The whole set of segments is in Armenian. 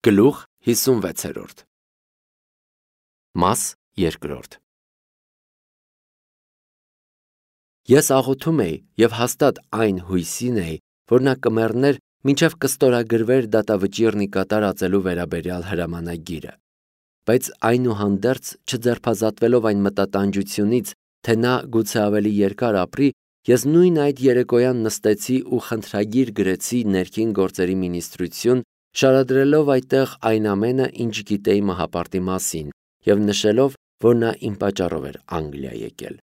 Գլուխ 56 Մաս 2 Ես աղոթում էի և հաստատ այն հույսին էի, որ նա կմեռներ, մինչև կստորագրվեր դատավճիռն ի կատար ածելու վերաբերյալ հրամանագիրը, բայց այնուհանդերձ չձերբազատվելով այն մտատանջությունից, թե նա գուցե ավելի երկար ապրի, ես նույն այդ երեկոյան նստեցի ու խնդրագիր գրեցի ներքին գործերի մինիստրություն, շարադրելով այդտեղ այն ամենը, ինչ գիտեի Մահապարտի մասին, և նշելով, որ նա իմ պատճառով էր Անգլիա եկել։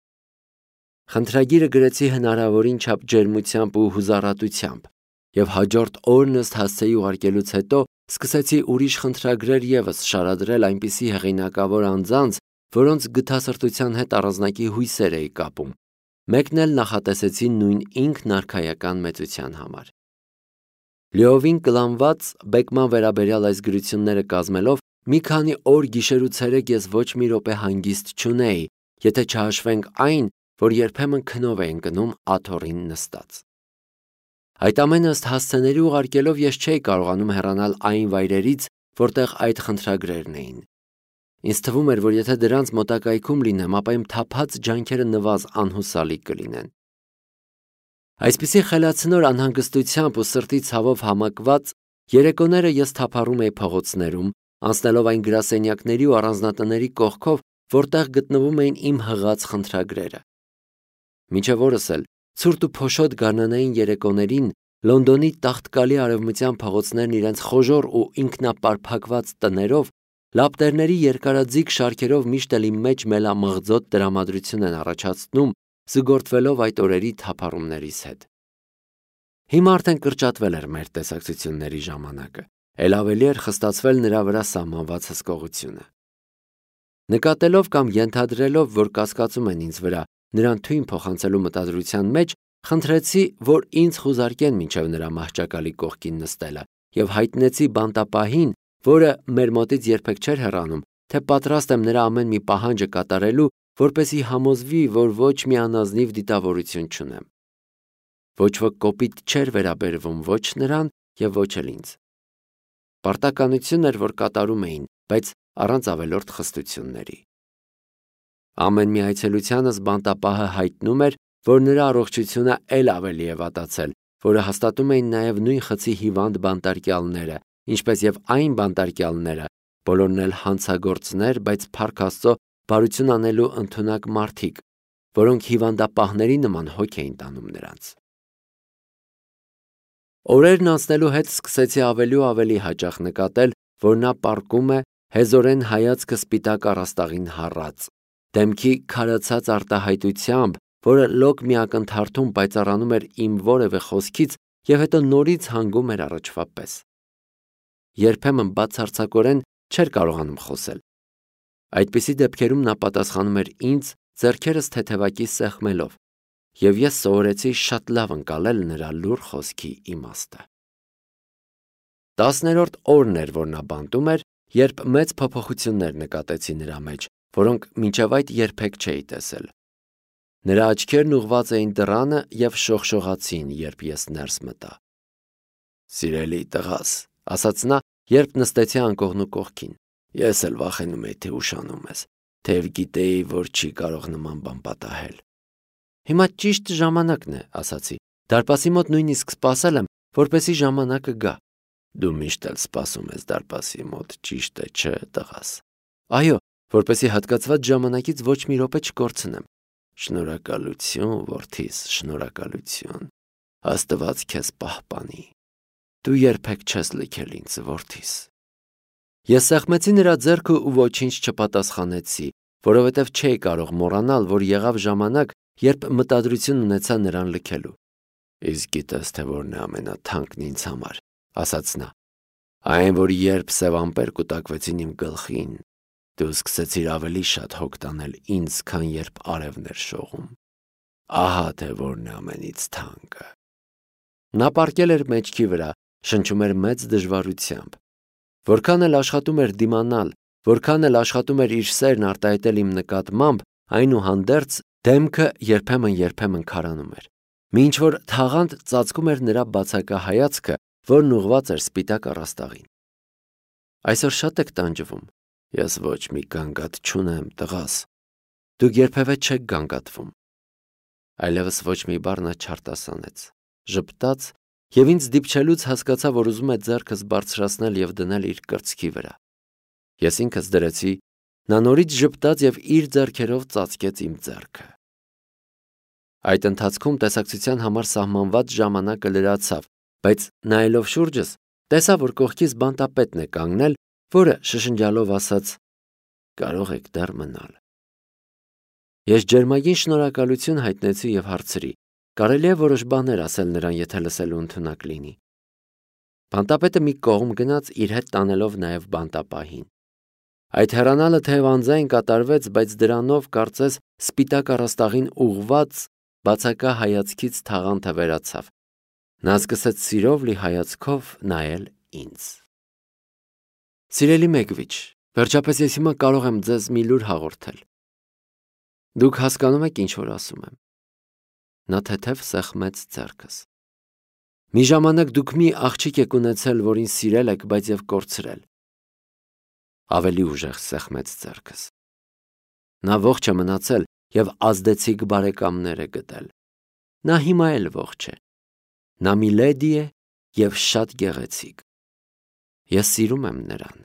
Խնդրագիրը գրեցի հնարավորին չափ ջերմությամբ ու հուզառատությամբ, և հաջորդ օրն ըստ հասցեի ուղարկելուց հետո սկսեցի ուրիշ խնդրագրեր ևս շարադրել այնպիսի հեղինակավոր անձանց, որոնց գթասրտության հետ առանձնակի հույսեր էի կապում, մեկն էլ նախատեսեցի նույն ինքնարքայական մեծության համար։ Լիովին կլանված բեկման վերաբերյալ այս գրությունները կազմելով, մի քանի օր գիշեր ու ցերեկ ես ոչ մի րոպե հանգիստ չունեի, եթե չհաշվենք այն, որ երբեմն քնով էի ընկնում աթոռին նստած։ Այդ ամենը ըստ հասցեների ուղարկելով ես չէի կարողանում հեռանալ այն վայրերից, որտեղ այդ խնդրագրերն էին։ Ինձ թվում էր, որ եթե դրանց մոտակայքում լինեմ, ապա իմ թափած ջանքերը նվազ անհուսալի կլինեն։ Այսպիսի խելացնոր անհանգստությամբ ու սրտի ցավով համակված երեկոները ես թափառում էի փողոցներում, անցնելով այն գրասենյակների ու առանձնատների կողքով, որտեղ գտնվում էին իմ հղած խնդրագրերը։ Մինչև օրս էլ ցուրտ ու փոշոտ գարնանային երեկոներին Լոնդոնի տաղտկալի արևմտյան փողոցներն իրենց խոժոռ ու ինքնապարփակված տներով, լապտերների երկարաձիգ շարքերով միշտ էլ իմ մեջ մելամղձոտ տրամադրություն են առաջացնում, զուգորդվելով այդ օրերի թափառումներիս հետ։ Հիմա արդեն կրճատվել էր մեր տեսակցությունների ժամանակը, էլ ավելի էր խստացվել նրա վրա սահմանված հսկողությունը։ Նկատելով կամ ենթադրելով, որ կասկածում են ինձ վրա նրան թույն փոխանցելու մտադրության մեջ, խնդրեցի, որ ինձ խուզարկեն մինչև նրա մահճակալի կողքին նստելը, և հայտնեցի բանտապահին, որը մեր մոտից երբեք չէր հեռանում, թե պատրաստ եմ նրա ամեն մի պահանջը կատարելու, որպեսզի համոզվի, որ ոչ մի անազնիվ դիտավորություն չունեմ։ Ոչ ոք կոպիտ չէր վերաբերվում ոչ նրան և ոչ էլ ինձ։ Պարտականություն էր, որ կատարում էին, բայց առանց ավելորդ խստությունների։ Ամեն մի այցելությանս բանտապահը հայտնում էր, որ նրա առողջությունը էլ ավելի է վատացել, որը հաստատում էին նաև նույն խցի հիվանդ բանտարկյալները, ինչպես և այն բանտարկյալները, բոլորն էլ հանցագործներ, բայց փառք Աստծո բարություն անելու ընդունակ մարդիկ, որոնք հիվանդապահների նման հոգ էին տանում նրանց։ Օրերն անցնելու հետ սկսեցի ավելի ու ավելի հաճախ նկատել, որ նա պառկում է, հեզորեն հայացքը սպիտակ առաստաղին հառած, դեմքի քարացած արտահայտությամբ, որը լոկ մի ակնթարթում պայծառանում էր իմ որևէ խոսքից և հետո նորից հանգում էր առաջվա պես։ Երբեմն բացարձակորեն չէր կարողանում խոսել։ Այդպիսի դեպքերում նա պատասխանում էր ինձ ձեռքերս թեթևակի սեղմելով, և ես սովորեցի շատ լավ ընկալել նրա լուռ խոսքի իմաստը։ 10-րդ օրն էր, որ նա բանտում էր, երբ մեծ փոփոխություններ նկատեցի նրա մեջ, որոնք մինչև այդ երբեք չէի տեսել։ Նրա աչքերն ուղղված էին դռանը և շողշողացին, երբ ես ներս մտա։ «Սիրելի տղաս», ասաց նա, երբ նստեցի անկողնու կողքին, «ես էլ վախենում էի, թե ուշանում ես, թեև գիտեի, որ չի կարող նման բան պատահել»։ «Հիմա ճիշտ ժամանակն է», ասացի, «դարպասի մոտ նույնիսկ սպասել եմ, որպեսզի ժամանակը գա»։ «Դու միշտ էլ սպասում ես դարպասի մոտ, ճիշտ է, չէ, տղաս»։ «Այո, որպեսզի հատկացված ժամանակից ոչ մի րոպե չկորցնեմ»։ «Շնորհակալություն, որդիս, շնորհակալություն, Աստված քեզ պահպանի, դու երբեք չես լքել ինձ, որդիս»։ Ես սեղմեցի նրա ձեռքը ու ոչինչ չպատասխանեցի, որովհետև չէի կարող մոռանալ, որ եղավ ժամանակ, երբ մտադրություն ունեցա նրան լքելու։ «Իսկ գիտես, թե որն է ամենաթանկն ինձ համար», ասաց նա։ «Այն, որ երբ սև ամպեր կուտակվեցին իմ գլխին, դու սկսեցիր ավելի շատ հոգ տանել ինձ, քան երբ արևն էր շողում։ Ահա թե որն է ամենից թանկը»։ Նա պառկել էր մեջքի վրա, շնչում էր մեծ դժվարությամբ։ Որքան էլ աշխատում էր դիմանալ, որքան էլ աշխատում էր իր սերն արտահայտել իմ նկատմամբ, այնուհանդերձ դեմքը երբեմն քարանում էր։ Մինչ որ թաղանթ ծածկում էր նրա բացակա հայացքը, որն ուղղված էր սպիտակ առաստաղին։ Այսօր շատ եք տանջվում։ Ես ոչ մի գանգատ չունեմ, տղաս։ Դուք երբևէ չեք գանգատվում։ Այլևս ոչ մի բառ նա չարտասանեց, ժպտաց և ինձ դիպչելուց հասկացա, որ ուզում է ձեռքս բարձրացնել և դնել իր կրծքի վրա։ Ես ինքս դրեցի, նա նորից ժպտաց և իր ձեռքերով ծածկեց իմ ձեռքը։ Այդ ընթացքում տեսակցության համար սահմանված ժամանակը լրացավ, բայց նայելով շուրջս, տեսա, որ կողքիս բանտապետն է կանգնել, որը շշնջալով ասաց. «Կարող եք դեռ մնալ»։ Ես ջերմագին շնորհակալություն հայտնեցի և հարցրի. կարելի է որոշ բաներ ասել նրան, եթե լսելու ընդունակ լինի։ Բանտապետը մի կողմ գնաց, իր հետ տանելով նաև բանտապահին։ Այդ հեռանալը թեև անձայն կատարվեց, բայց դրանով կարծես սպիտակ առաստաղին ուղղված բացակա հայացքից թաղանթը վերացավ։ Նա սկսեց սիրով լի հայացքով նայել ինձ։ Սիրելի Մեգվիչ, վերջապես ես հիմա կարող եմ ձեզ մի լուր հաղորդել։ Դուք հասկանում եք, ինչ որ ասում եմ։ Նա թեթև սեղմեց ձեռքս։ Մի ժամանակ դուք մի աղջիկ եք ունեցել, որին սիրել եք, բայց և կորցրել։ Ավելի ուժեղ սեղմեց ձեռքս։ Նա ողջ է մնացել և ազդեցիկ բարեկամներ է գտել։ Նա հիմա էլ ողջ է։ Նա մի լեդի է և շատ գեղեցիկ։ Ես սիրում եմ նրան։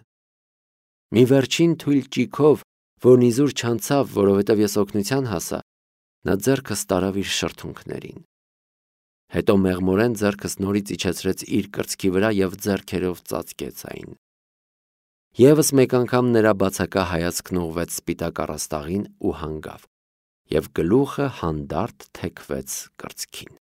Մի վերջին թույլ ճիգով, որն իզուր չանցավ, որովհետև ես օգնության հասա, նա ձեռքս տարավ իր շրթունքներին։ Հետո մեղմորեն ձեռքս նորից իջեցրեց իր կրծքի վրա և ձեռքերով ծածկեց այն։ Եվս մեկ անգամ նրա բացակա հայացքն ուղղվեց սպիտակ առաստաղին ու հանգավ, և գլուխը հանդարտ թեքվեց կրծքին։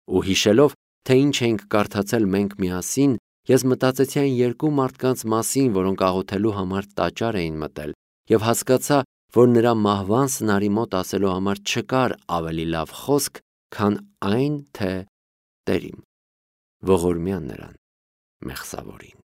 Ու հիշելով, թե ինչ էինք կարդացել մենք միասին, ես մտածեցի այն երկու մարդկանց մասին, որոնք աղոթելու համար տաճար էին մտել, և հասկացա, որ նրա մահվան սնարի մոտ ասելու համար չկար ավելի լավ խոսք, քան այն, թե «Տեր իմ, ողորմյա նրան, մեղսավորին»։